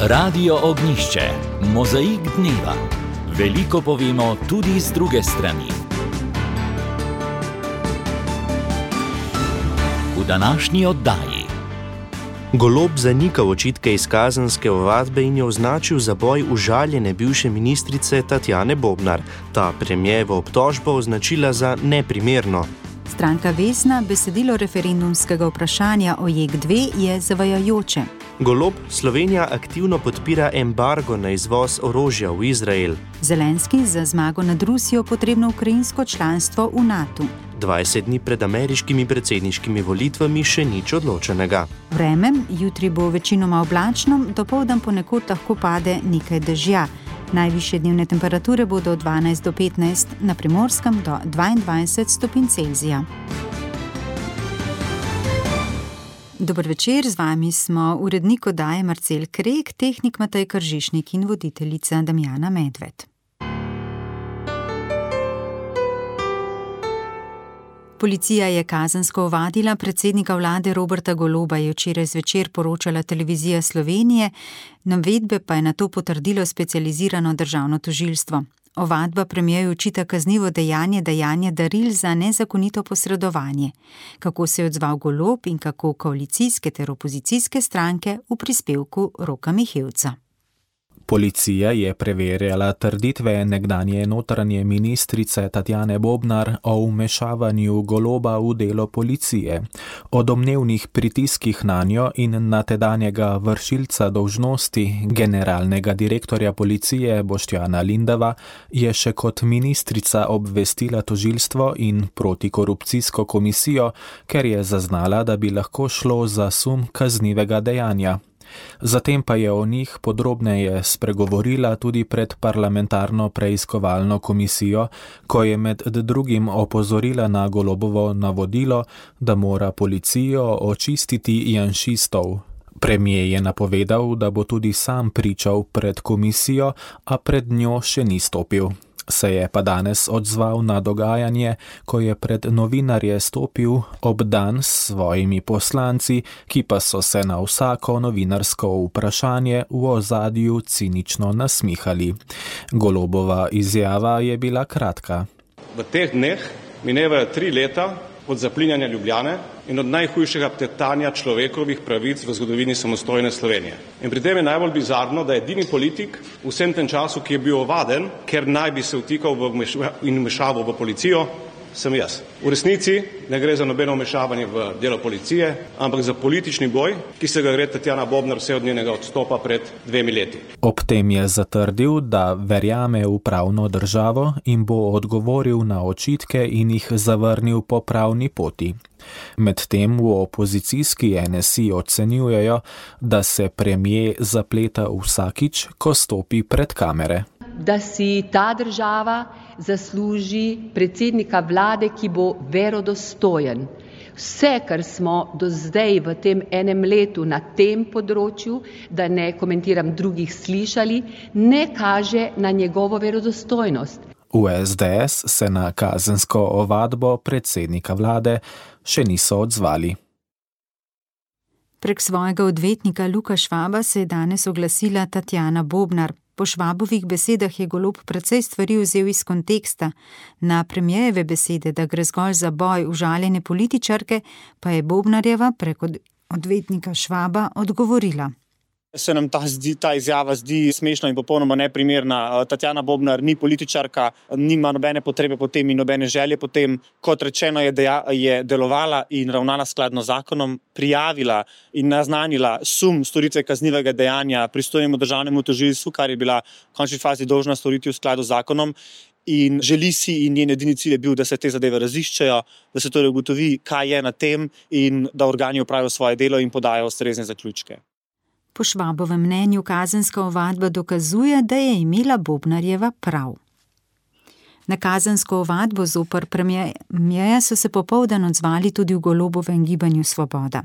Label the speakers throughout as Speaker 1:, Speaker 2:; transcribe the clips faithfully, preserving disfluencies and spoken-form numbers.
Speaker 1: Radio Ognjišče, mozaik dneva. Veliko povemo tudi z druge strani. V današnji oddaji.
Speaker 2: Golob zanika očitke iz kazenske ovadbe in je označil za boj užaljene bivše ministrice Tatjane Bobnar. Ta premierjevo obtožbo označila za neprimerno.
Speaker 3: Stranka Vesna besedilo referendumskega vprašanja o J E K dve je zavajajoče.
Speaker 2: Golob, Slovenija aktivno podpira embargo na izvoz orožja v Izrael.
Speaker 3: Zelenski za zmago nad Rusijo potrebno ukrajinsko članstvo v NATO.
Speaker 2: dvajset dni pred ameriškimi predsedniškimi volitvami še nič odločenega.
Speaker 3: Vreme, jutri bo večinoma oblačno, dopoldan ponekod lahko pade nekaj dežja. Najvišje dnevne temperature bodo od dvanajst do petnajst, na Primorskem do dvaindvajset stopinj Celzija. Dober večer, z vami smo urednik oddaje Marcel Krek, tehnik Matej Kržišnik in voditeljica Damjana Medved. Policija je kazensko ovadila predsednika vlade Roberta Goloba, je včeraj zvečer poročala Televizija Slovenije, navedbe pa je nato potrdilo specializirano državno tožilstvo. Ovadba premierju očita kaznivo dejanje dajanja daril za nezakonito posredovanje. Kako se je odzval Golob in kako koalicijske ter opozicijske stranke v prispevku Roka Mihevca.
Speaker 4: Policija je preverjala trditve nekdanje notranje ministrice Tatjane Bobnar o vmešavanju Goloba v delo policije, o domnevnih pritiskih nanjo in na tedanjega vršilca dolžnosti generalnega direktorja policije Boštjana Lindava je še kot ministrica obvestila tožilstvo in protikorupcijsko komisijo, ker je zaznala, da bi lahko šlo za sum kaznivega dejanja. Zatem pa je o njih podrobneje spregovorila tudi pred parlamentarno preiskovalno komisijo, ko je med drugim opozorila na Golobovo navodilo, da mora policijo očistiti janšistov. Premier je napovedal, da bo tudi sam pričal pred komisijo, a pred njo še ni stopil. Se je pa danes odzval na dogajanje, ko je pred novinarje stopil obdan s svojimi poslanci, ki pa so se na vsako novinarsko vprašanje v ozadju cinično nasmihali. Golobova izjava je bila kratka.
Speaker 5: V teh dneh minevajo tri leta od zaplinjanja Ljubljane in od najhujšega teptanja človekovih pravic v zgodovini samostojne Slovenije. In pri tem je najbolj bizarno, da je edini politik v vsem tem času, ki je bil ovaden, ker naj bi se vtikal v in vmešaval v policijo, sem jaz. V resnici ne gre za nobeno vmešavanje v delo policije, ampak za politični boj, ki se ga gre Tatjana Bobnar vse od njenega odstopa pred dvemi leti.
Speaker 4: Ob tem je zatrdil, da verjame v pravno državo in bo odgovoril na očitke in jih zavrnil po pravni poti. Medtem v opozicijski N S I ocenjujejo, da se premier zapleta vsakič, ko stopi pred kamere.
Speaker 6: Da si ta država zasluži predsednika vlade, ki bo verodostojen. Vse, kar smo do zdaj v tem enem letu na tem področju, da ne komentiram drugih, slišali, ne kaže na njegovo verodostojnost.
Speaker 4: V S D S se na kazensko ovadbo predsednika vlade še niso odzvali.
Speaker 3: Prek svojega odvetnika Luka Švaba se je danes oglasila Tatjana Bobnar. Po Švabovih besedah je Golob precej stvari vzel iz konteksta. Na premierjeve besede, da gre zgolj za boj užaljene političarke, pa je Bobnarjeva prek odvetnika Švaba odgovorila.
Speaker 7: Se nam ta, zdi, ta izjava zdi smešna in popolnoma neprimerna. Tatjana Bobnar ni političarka, nima nobene potrebe po tem in nobene želje po tem. Kot rečeno je, deja, je delovala in ravnala skladno z zakonom, prijavila in naznanila sum storitve kaznivega dejanja pristojnemu državnemu tožilstvu, kar je bila v končni fazi dolžna storiti v skladu z zakonom. In želi si in njen edini cilj je bil, da se te zadeve raziščejo, da se torej ugotovi, kaj je na tem in da organi opravijo svoje delo in podajo ustrezne zaključke.
Speaker 3: Po Švabovem mnenju kazenska ovadba dokazuje, da je imela Bobnarjeva prav. Na kazensko ovadbo zoper premierja so se popoldan odzvali tudi v Golobovem gibanju Svoboda.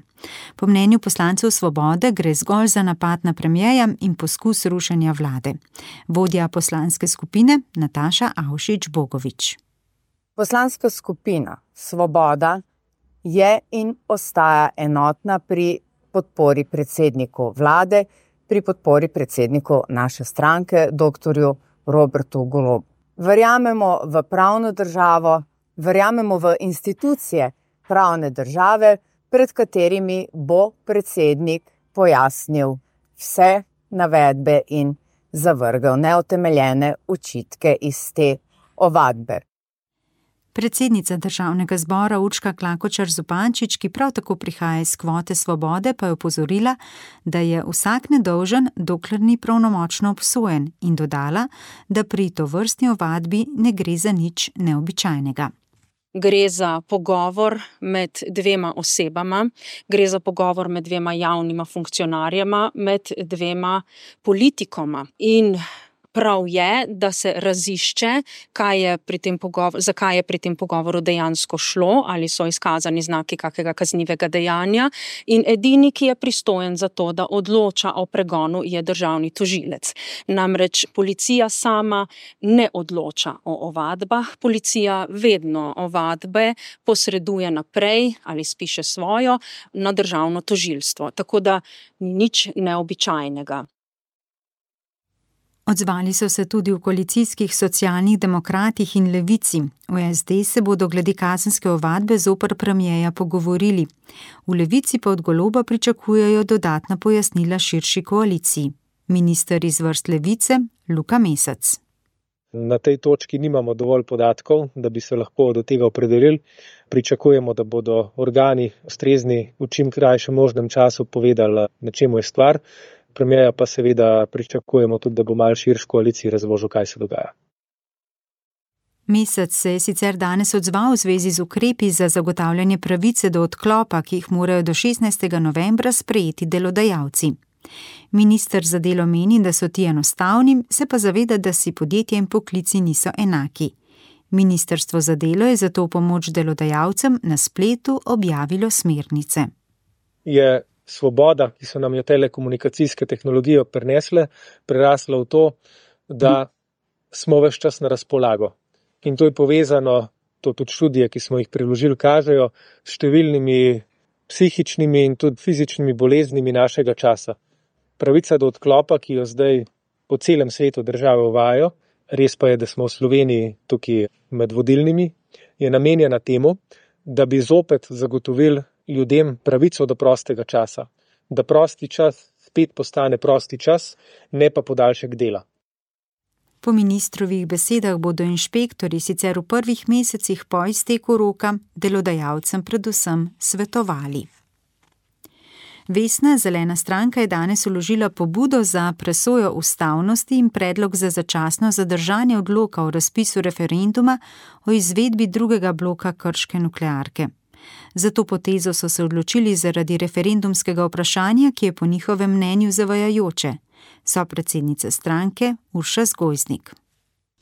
Speaker 3: Po mnenju poslancev Svobode gre zgolj za napad na premierja in poskus rušenja vlade. Vodja poslanske skupine Nataša Avšič Bogovič.
Speaker 8: Poslanska skupina Svoboda je in ostaja enotna pri podpori predsedniku vlade, pri podpori predsedniku naše stranke, doktorju Robertu Golobu. Verjamemo v pravno državo, verjamemo v institucije pravne države, pred katerimi bo predsednik pojasnil vse navedbe in zavrgel neutemeljene očitke iz te ovadbe.
Speaker 3: Predsednica Državnega zbora Urška Klakočar Zupančič, ki prav tako prihaja iz kvote Svobode, pa je opozorila, da je vsak nedolžen, dokler ni pravnomočno obsojen, in dodala, da pri tovrstni ovadbi ne gre za nič neobičajnega.
Speaker 9: Gre za pogovor med dvema osebama, gre za pogovor med dvema javnima funkcionarjema, med dvema politikoma. In prav je, da se razišče, kaj je pri tem pogovor, zakaj je pri tem pogovoru dejansko šlo, ali so izkazani znaki kakega kaznivega dejanja. In edini, ki je pristojen za to, da odloča o pregonu, je državni tožilec. Namreč policija sama ne odloča o ovadbah, policija vedno ovadbe posreduje naprej ali spiše svojo na državno tožilstvo. Tako da nič neobičajnega.
Speaker 3: Odzvali so se tudi v koalicijskih Socialnih demokratih in Levici. V es de se bodo glede kazenske ovadbe zoper premierja pogovorili. V Levici pa od Goloba pričakujejo dodatna pojasnila širši koaliciji. Minister iz vrst Levice, Luka Mesec.
Speaker 10: Na tej točki nimamo dovolj podatkov, da bi se lahko do tega opredelili. Pričakujemo, da bodo organi ustrezni v čim krajšem možnem času povedali, na čemu je stvar. Premierja pa seveda pričakujemo tudi, da bo malo širš koaliciji razložil, kaj se dogaja.
Speaker 3: Mesec se je sicer danes odzval v zvezi z ukrepi za zagotavljanje pravice do odklopa, ki jih morajo do šestnajstega novembra sprejeti delodajalci. Minister za delo meni, da so ti enostavni, se pa zaveda, da si podjetja in poklici niso enaki. Ministrstvo za delo je zato v pomoč delodajalcem na spletu objavilo smernice.
Speaker 10: Je svoboda, ki so nam jo telekomunikacijske tehnologije prinesle, prerasla v to, da smo ves čas na razpolago. In to je povezano, to tudi študije, ki smo jih priložili, kažejo, s številnimi psihičnimi in tudi fizičnimi boleznimi našega časa. Pravica do odklopa, ki jo zdaj po celem svetu države uvajajo, res pa je, da smo v Sloveniji tukaj med vodilnimi, je namenjena temu, da bi zopet zagotovili ljudem pravico do prostega časa. Da prosti čas spet postane prosti čas, ne pa podaljšek dela.
Speaker 3: Po ministrovih besedah bodo inšpektorji sicer v prvih mesecih po izteku roka delodajalcem predvsem svetovali. Vesna zelena stranka je danes vložila pobudo za presojo ustavnosti in predlog za začasno zadržanje odloka o razpisu referenduma o izvedbi drugega bloka krške nuklearke. Za to potezo so se odločili zaradi referendumskega vprašanja, ki je po njihovem mnenju zavajajoče. So predsednica stranke Urša Zgojznik.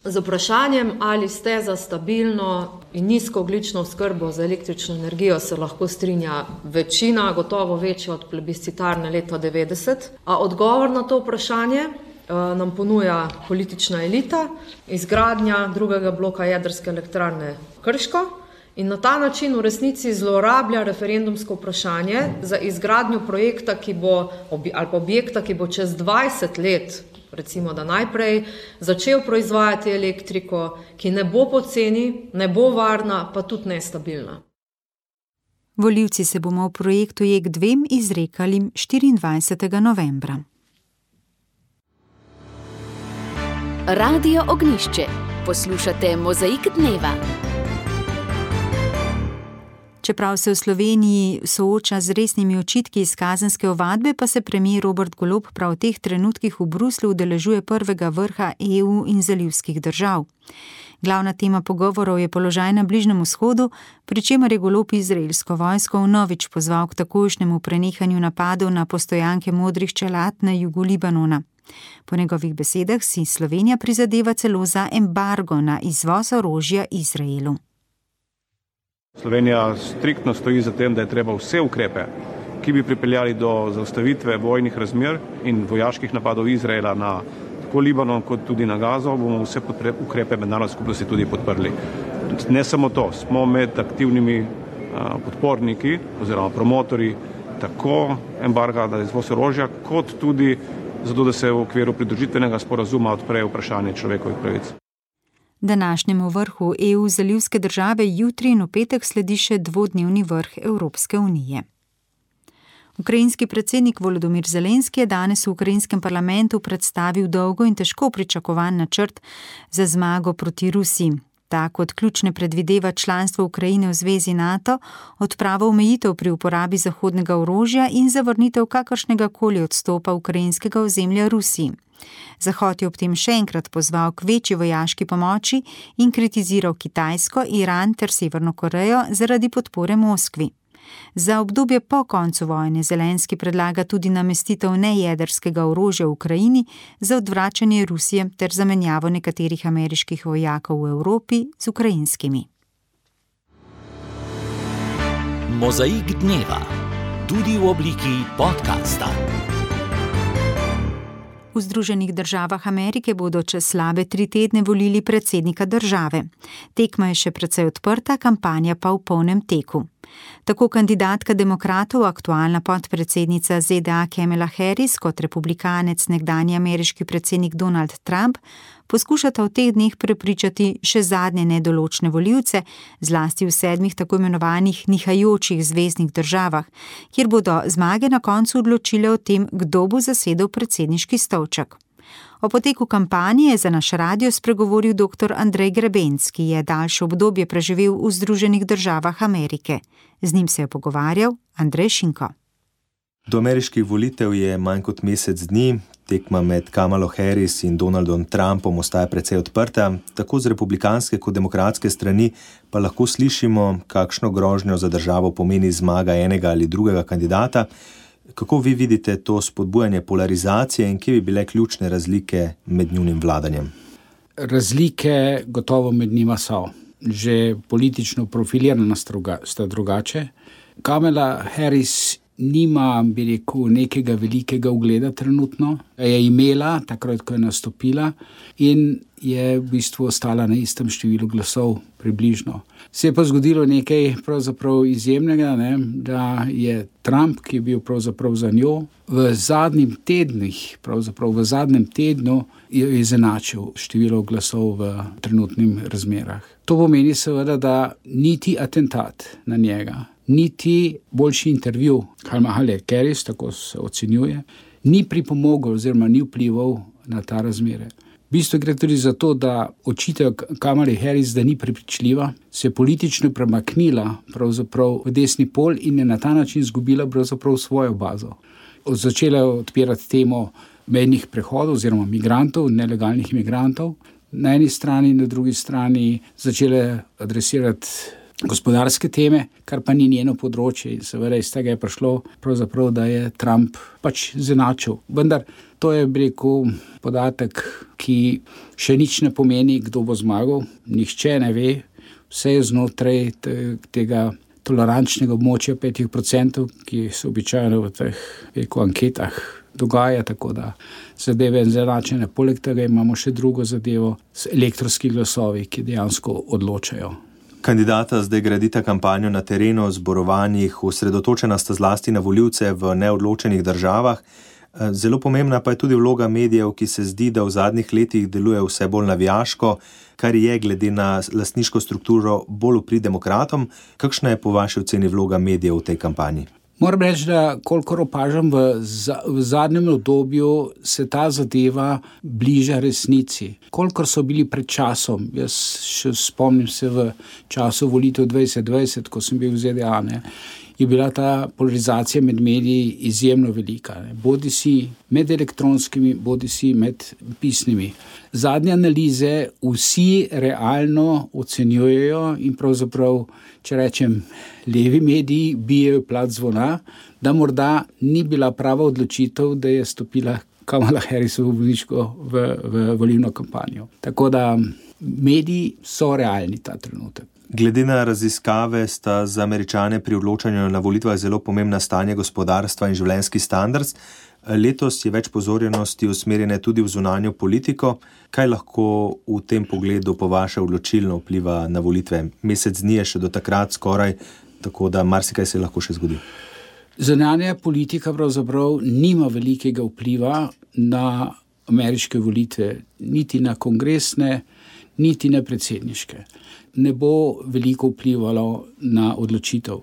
Speaker 11: Z vprašanjem, ali ste za stabilno in nizkoogljično oskrbo z električno energijo, se lahko strinja večina, gotovo večja od plebiscitarne leta devetdeset. A odgovor na to vprašanje nam ponuja politična elita, izgradnja drugega bloka jedrske elektrarne Krško, in na ta način v resnici zlorablja referendumsko vprašanje za izgradnjo projekta, ki bo, ali pa objekta, ki bo čez dvajset let, recimo da najprej, začel proizvajati elektriko, ki ne bo poceni, ne bo varna, pa tudi nestabilna.
Speaker 3: Volivci se bomo v projektu J E K dva izrekali štiriindvajsetega novembra.
Speaker 12: Radio Ognjišče. Poslušate Mozaik dneva.
Speaker 3: Čeprav se v Sloveniji sooča z resnimi očitki iz kazenske ovadbe, pa se premier Robert Golob prav v teh trenutkih v Bruslju udeležuje prvega vrha E U in zalivskih držav. Glavna tema pogovorov je položaj na Bližnjem vzhodu, pri čemer je Golob izraelsko vojsko vnovič pozval k takojšnjemu prenehanju napadov na postojanke modrih čelad na jugu Libanona. Po njegovih besedah si Slovenija prizadeva celo za embargo na izvoz orožja Izraelu.
Speaker 5: Slovenija striktno stoji za tem, da je treba vse ukrepe, ki bi pripeljali do zaustavitve vojnih razmer in vojaških napadov Izraela na tako Libanon kot tudi na Gazo, bomo vse ukrepe mednarodne skupnosti tudi podprli. Ne samo to, smo med aktivnimi podporniki oziroma promotori tako embarga na izvoz orožja, kot tudi zato da se v okviru pridružitvenega sporazuma odpre vprašanje človekovih pravic.
Speaker 3: Današnjemu vrhu E U zalivske države jutri in v petek sledi še dvodnevni vrh Evropske unije. Ukrajinski predsednik Volodymyr Zelenski je danes v ukrajinskem parlamentu predstavil dolgo in težko pričakovan načrt za zmago proti Rusiji. Ta kot ključne predvideva članstvo Ukrajine v zvezi NATO, odpravo omejitev pri uporabi zahodnega orožja in zavrnitev kakršnega koli odstopa ukrajinskega ozemlja Rusiji. Zahod je ob tem še enkrat pozval k večji vojaški pomoči in kritiziral Kitajsko, Iran ter Severno Korejo zaradi podpore Moskvi. Za obdobje po koncu vojne Zelenski predlaga tudi namestitev nejedrskega orožja v Ukrajini za odvračanje Rusije ter zamenjavo nekaterih ameriških vojakov v Evropi z ukrajinskimi.
Speaker 1: Mozaik dneva, tudi v obliki podcasta.
Speaker 3: V Združenih državah Amerike bodo čez slabe tri tedne volili predsednika države. Tekma je še precej odprta, kampanja pa v polnem teku. Tako kandidatka demokratov, aktualna podpredsednica Z D A Kamala Harris kot republikanec nekdanji ameriški predsednik Donald Trump poskušata v teh dneh prepričati še zadnje nedoločne volivce, zlasti v sedmih tako imenovanih nihajočih zveznih državah, kjer bodo zmage na koncu odločile o tem, kdo bo zasedel predsedniški stolček. O poteku kampanje je za naš radio spregovoril doktor Andrej Grebenc, ki je daljše obdobje preživel v Združenih državah Amerike. Z njim se je pogovarjal Andrej Šinko.
Speaker 13: Do ameriških volitev je manj kot mesec dni, tekma med Kamalo Harris in Donaldom Trumpom ostaja precej odprta, tako z republikanske kot demokratske strani pa lahko slišimo, kakšno grožnjo za državo pomeni zmaga enega ali drugega kandidata. Kako vi vidite to spodbujanje polarizacije in kje bi bile ključne razlike med njunim vladanjem?
Speaker 14: Razlike gotovo med njima so. Že politično profilirana sta drugače. Kamala Harris nima, bi rekel, nekega velikega ugleda trenutno. Je imela, takrat, ko je nastopila, in je v bistvu ostala na istem številu glasov približno. Se je pa zgodilo nekaj pravzaprav izjemnega, ne? Da je Trump, ki je bil pravzaprav za njo, v zadnjih tednih, pravzaprav v zadnjem tednu je izenačil število glasov v trenutnih razmerah. To pomeni seveda, da niti atentat na njega, niti boljši intervju Kamale Harris, tako se ocenjuje, ni pripomogel oziroma ni vplival na ta razmere. V bistvu gre tudi za to, da očitek Kamali Harris, da ni prepričljiva, se je politično premaknila pravzaprav v desni pol in je na ta način izgubila pravzaprav svojo bazo. Začela je odpirati temo mejnih prehodov oziroma migrantov, nelegalnih migrantov. Na eni strani, na drugi strani začela adresirati gospodarske teme, kar pa ni njeno področje, in seveda iz tega je prišlo pravzaprav, da je Trump pač izenačil. Vendar to je, bi rekel, podatek, ki še nič ne pomeni, kdo bo zmagal. Nihče ne ve, vse je znotraj tega tolerančnega območja petih procentov, ki se običajno v teh rekel, anketah dogaja, tako da zadeve izenačene. Poleg tega imamo še drugo zadevo, elektronski glasovi, ki dejansko odločajo.
Speaker 13: Kandidata zdaj gradita kampanjo na terenu, zborovanjih, osredotočena sta zlasti na volivce v neodločenih državah. Zelo pomembna pa je tudi vloga medijev, ki se zdi, da v zadnjih letih deluje vse bolj navijaško, kar je glede na lastniško strukturo bolj v prid demokratom. Kakšna je po vaši oceni vloga medijev v tej kampanji?
Speaker 14: Moram reči, da kolikor opažam v, v zadnjem obdobju se ta zadeva bliža resnici. Kolikor so bili pred časom, jaz še spomnim se v času volitev dvajset dvajset, ko sem bil v Z D A, ne, je bila ta polarizacija med mediji izjemno velika. Ne. Bodi si med elektronskimi, bodi si med pisnimi. Zadnje analize vsi realno ocenjujejo in pravzaprav, če rečem, levi mediji bijejo plat zvona, da morda ni bila prava odločitev, da je stopila Kamala Harris v bolniško v, v volilno kampanjo. Tako da mediji so realni ta trenutek.
Speaker 13: Glede na raziskave sta za Američane pri odločanju na volitvah zelo pomembna stanje gospodarstva in življenjski standard. Letos je več pozornosti usmerjene tudi v zunanjo politiko. Kaj lahko v tem pogledu po vaše odločilno vpliva na volitve? Mesec dni je še do takrat skoraj, tako da marsikaj se lahko še zgodi.
Speaker 14: Zunanja politika pravzaprav nima velikega vpliva, na ameriške volitve, niti na kongresne, niti na predsedniške. Ne bo veliko vplivalo na odločitev.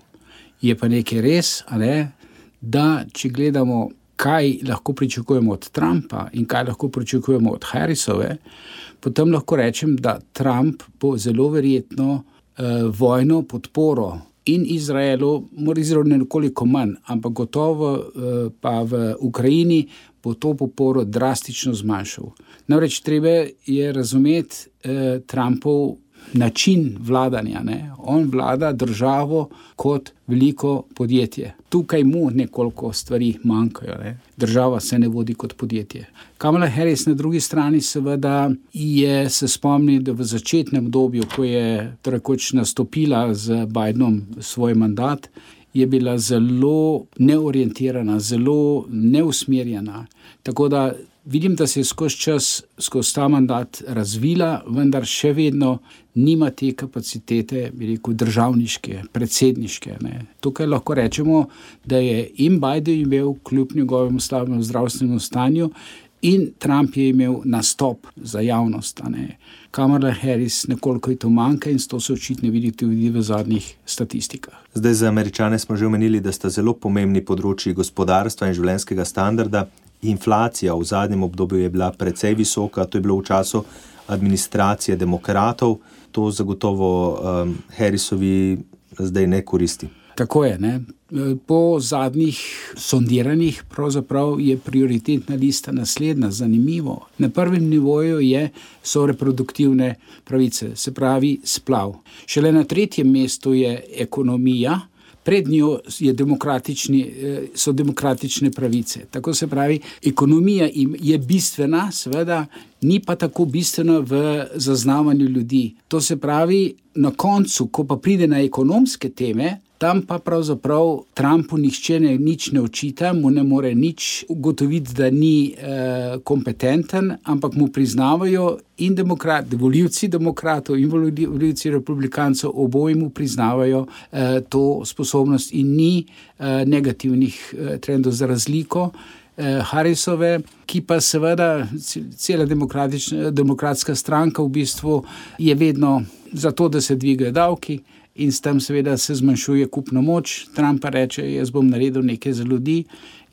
Speaker 14: Je pa nekaj res, a ne, da če gledamo, kaj lahko pričakujemo od Trumpa in kaj lahko pričakujemo od Harrisove, potem lahko rečem, da Trump bo zelo verjetno eh, vojno podporo in Izraelu, mora Izraelu nekoliko manj, ampak gotovo eh, pa v Ukrajini bo to podporo drastično zmanjšal. Namreč treba je razumeti eh, Trumpov način vladanja. Ne? On vlada državo kot veliko podjetje. Tukaj mu nekoliko stvari manjkajo. Ne? Država se ne vodi kot podjetje. Kamala Harris na drugi strani seveda je se spomni, da v začetnem obdobju, ko je rekoč nastopila z Bidenom svoj mandat, je bila zelo neorientirana, zelo neusmerjena. Tako da vidim, da se je skozi čas, skozi ta mandat razvila, vendar še vedno nima te kapacitete, bi rekel, državniške, predsedniške. Ne. Tukaj lahko rečemo, da je in Biden imel kljub njegovemu slabemu zdravstvenemu stanju in Trump je imel nastop za javnost. Ne. Kamala Harris nekoliko je to manjka in to se očitno vidi tudi v zadnjih statistikah.
Speaker 13: Zdaj za Američane smo že omenili, da sta zelo pomembni področji gospodarstva in življenjskega standarda. Inflacija v zadnjem obdobju je bila precej visoka, to je bilo v času administracije demokratov, to zagotovo um, Harrisovi zdaj ne koristi.
Speaker 14: Tako je, ne. Po zadnjih sondiranjih pravzaprav je prioritetna lista naslednja, zanimivo. Na prvem nivoju je, so reproduktivne pravice, se pravi splav. Šele na tretjem mestu je ekonomija, pred njo je demokratični, so demokratične pravice. Tako se pravi, ekonomija je bistvena, seveda ni pa tako bistvena v zaznavanju ljudi. To se pravi, na koncu, ko pa pride na ekonomske teme, tam pa pravzaprav Trumpu nihče ne, nič ne očita, mu ne more nič ugotoviti, da ni eh, kompetenten, ampak mu priznavajo in demokrati, volivci demokratov in volivci republikancev, oboji mu priznavajo eh, to sposobnost in ni eh, negativnih eh, trendov za razliko eh, Harrisove, ki pa seveda cela demokratska stranka v bistvu je vedno za to, da se dvigajo davki, in s tem seveda se zmanjšuje kupna moč. Trump pa reče, jaz bom naredil nekaj za ljudi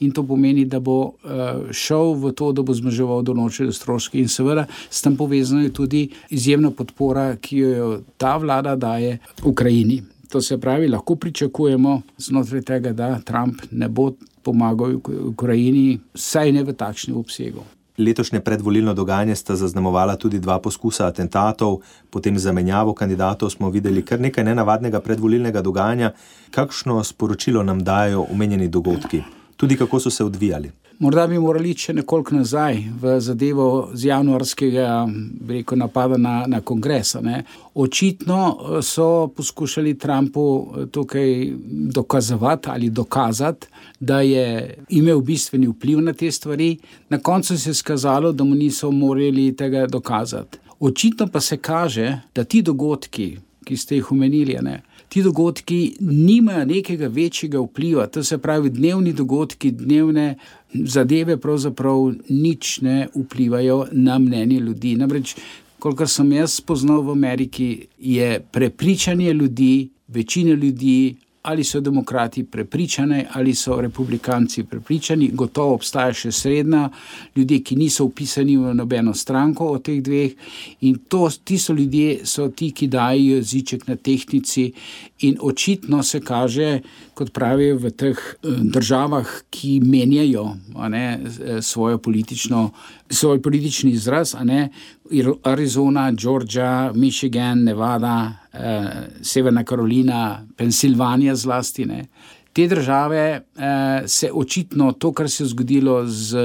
Speaker 14: in to pomeni, da bo uh, šel v to, da bo zmanjševal določene stroške in seveda s tem povezano je tudi izjemna podpora, ki jo ta vlada daje Ukrajini. To se pravi, lahko pričakujemo znotraj tega, da Trump ne bo pomagal Ukrajini, saj ne v takšnem obsegu.
Speaker 13: Letošnje predvolilno dogajanje sta zaznamovala tudi dva poskusa atentatov, potem zamenjavo kandidatov smo videli kar nekaj nenavadnega predvolilnega dogajanja. Kakšno sporočilo nam dajo omenjeni dogodki? Tudi kako so se odvijali?
Speaker 14: Morda bi morali iti še nekoliko nazaj v zadevo z januarskega rekel, napada na, na kongres. Ne. Očitno so poskušali Trumpu tukaj dokazovati ali dokazati, da je imel bistveni vpliv na te stvari. Na koncu se je skazalo, da mu niso morali tega dokazati. Očitno pa se kaže, da ti dogodki, ki ste jih omenili, ne, ti dogodki nimajo nekega večjega vpliva, to se pravi dnevni dogodki, dnevne zadeve pravzaprav nič ne vplivajo na mnenje ljudi. Namreč, kolikor sem jaz spoznal v Ameriki, je prepričanje ljudi, večina ljudi, ali so demokrati prepričani, ali so republikanci prepričani, gotovo obstaja še srednja, ljudje, ki niso vpisani v nobeno stranko od teh dveh in to, ti so ljudje, so ti, ki dajo jeziček na tehtnici in očitno se kaže, kot pravijo v teh državah, ki menjajo a ne, svojo politično, svoj politični izraz, a ne, Arizona, Georgia, Michigan, Nevada, eh, Severna Karolina, Pensilvanija zlasti. Ne. Te države eh, se očitno to, kar se je zgodilo z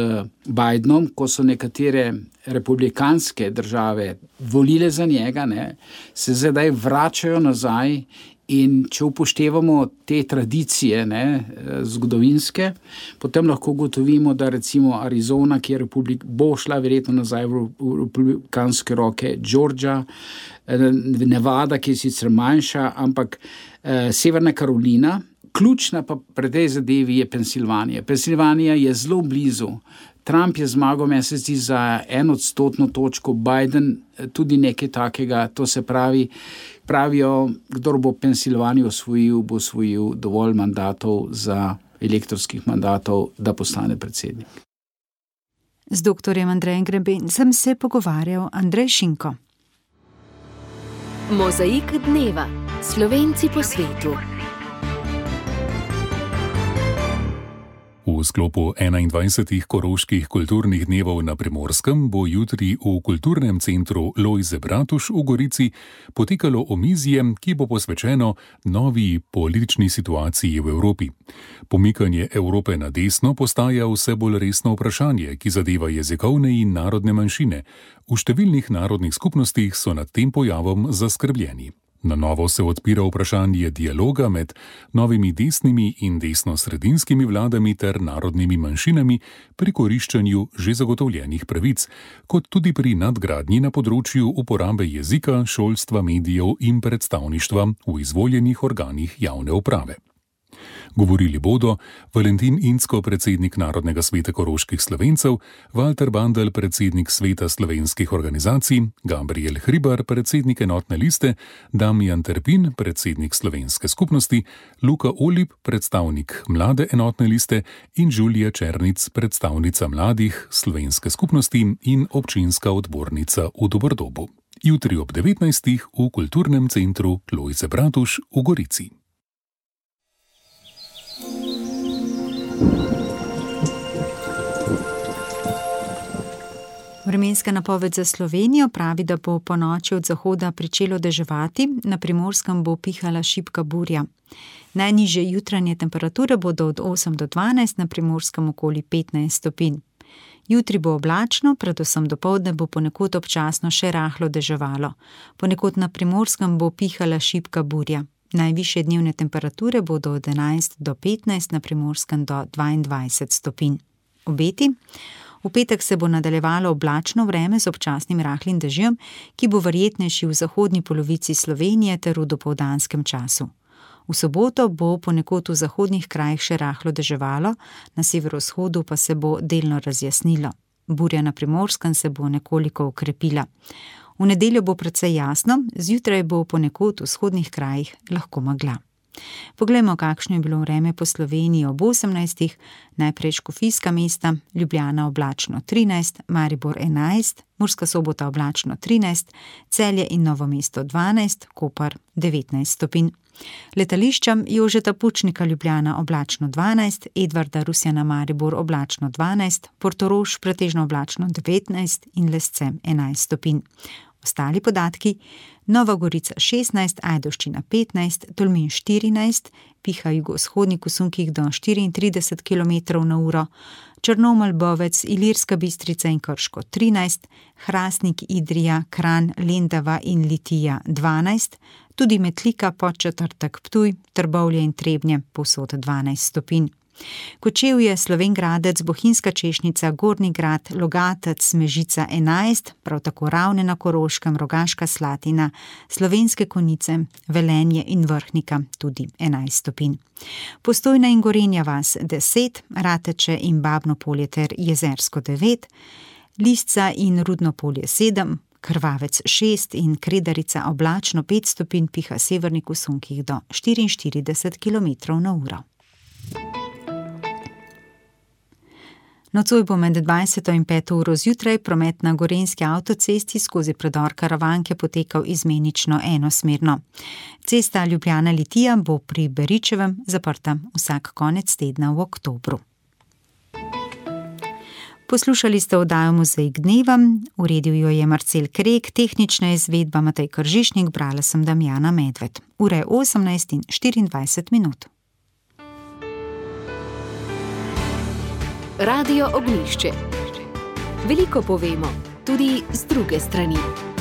Speaker 14: Bidenom, ko so nekatere republikanske države volile za njega, ne, se zdaj vračajo nazaj. In če upoštevamo te tradicije ne, zgodovinske, potem lahko ugotovimo, da recimo Arizona, ki je republik, bo šla verjetno nazaj v republikanske roke, Georgia, Nevada, ki je sicer manjša, ampak eh, Severna Karolina, Ključna pa pri tej zadevi je Pensilvanija. Pensilvanija je zelo blizu. Trump je zmagal, meni se zdi, za eno odstotno točko, Biden tudi nekaj takega. To se pravi, pravijo, kdor bo Pensilvanijo osvojil, bo osvojil dovolj mandatov za elektorskih mandatov, da postane predsednik.
Speaker 3: Z doktorjem Andrejem Grebencem se je pogovarjal Andrej Šinko.
Speaker 12: Mozaik dneva. Slovenci po svetu.
Speaker 15: V sklopu enaindvajsetih koroških kulturnih dnevov na Primorskem bo jutri v kulturnem centru Lojze Bratuš v Gorici potekalo omizje, ki bo posvečeno novi politični situaciji v Evropi. Pomikanje Evrope na desno postaja vse bolj resno vprašanje, ki zadeva jezikovne in narodne manjšine. V številnih narodnih skupnostih so nad tem pojavom zaskrbljeni. Na novo se odpira vprašanje dialoga med novimi desnimi in desno-sredinskimi vladami ter narodnimi manjšinami pri koriščenju že zagotovljenih pravic, kot tudi pri nadgradnji na področju uporabe jezika, šolstva, medijev in predstavništva v izvoljenih organih javne uprave. Govorili bodo Valentin Incko, predsednik Narodnega sveta koroških Slovencev, Walter Bandel, predsednik Sveta slovenskih organizacij, Gabriel Hribar, predsednik Enotne liste, Damjan Terpin, predsednik Slovenske skupnosti, Luka Olip, predstavnik Mlade enotne liste in Žulija Černic, predstavnica mladih Slovenske skupnosti in občinska odbornica v Dobordobu. Jutri ob devetnajstih v kulturnem centru Lojze Bratuš v Gorici.
Speaker 3: Vremenska napoved za Slovenijo pravi, da bo po noči od zahoda pričelo deževati, na Primorskem bo pihala šibka burja. Najnižje jutranje temperature bodo od osem do dvanajst, na Primorskem okoli petnajst stopinj. Jutri bo oblačno, predvsem dopoldne bo ponekod občasno še rahlo deževalo. Ponekod na Primorskem bo pihala šibka burja. Najvišje dnevne temperature bodo od enajst do petnajst, na Primorskem do dvaindvajset stopinj. Obeti? V petek se bo nadaljevalo oblačno vreme z občasnim rahlim dežjem, ki bo verjetnejši v zahodni polovici Slovenije ter v dopoldanskem času. V soboto bo ponekod v zahodnih krajih še rahlo deževalo, na severovzhodu pa se bo delno razjasnilo. Burja na Primorskem se bo nekoliko okrepila. V nedeljo bo precej jasno, zjutraj bo ponekod v vzhodnih krajih lahko megla. Poglejmo, kakšno je bilo vreme po Sloveniji ob osemnajstih, najprej škofijska mesta, Ljubljana oblačno trinajst, Maribor enajst, Murska Sobota oblačno trinajst, Celje in Novo mesto dvanajst, Koper devetnajst stopinj. Letališča Jožeta Pučnika Ljubljana oblačno dvanajst, Edvarda Rusjana Maribor oblačno dvanajst, Portorož pretežno oblačno devetnajst in Lesce enajst stopinj. Ostali podatki: Nova Gorica šestnajst, Ajdovščina petnajst, Tolmin štirinajst, piha jugovzhodnik v sunkih do štiriintrideset kilometrov na uro, Črnomelj, Bovec, Ilirska Bistrica in Krško trinajst, Hrastnik, Idrija, Kranj, Lendava in Litija dvanajst, tudi Metlika, Podčetrtek, Ptuj, Trbovlje in Trebnje povsod dvanajst stopinj. Kočevje, Slovenj Gradec, Bohinjska Češnica, Gornji Grad, Logatec, Mežica enajst, prav tako Ravne na Koroškem, Rogaška Slatina, Slovenske Konjice, Velenje in Vrhnika tudi enajst stopinj. Postojna in Gorenja vas deset, Rateče in Babno Polje ter Jezersko devet, Lisca in Rudno Polje sedem, Krvavec šest in Kredarica oblačno pet stopinj, piha severnik v sunkih do štiriinštirideset kilometrov na uro. Nocoj bo med dvajseto in peto uro zjutraj promet na gorenjski avtocesti skozi predor Karavanke potekal izmenično enosmerno. Cesta Ljubljana-Litija bo pri Beričevem zaprta vsak konec tedna v oktobru. Poslušali ste oddajo Mozaik dneva, uredil jo je Marcel Krek, tehnična izvedba Matej Kržišnik, brala sem Damjana Medved. Ura je osemnajst in štiriindvajset minut.
Speaker 12: Radio Ognjišče. Veliko povemo, tudi z druge strani.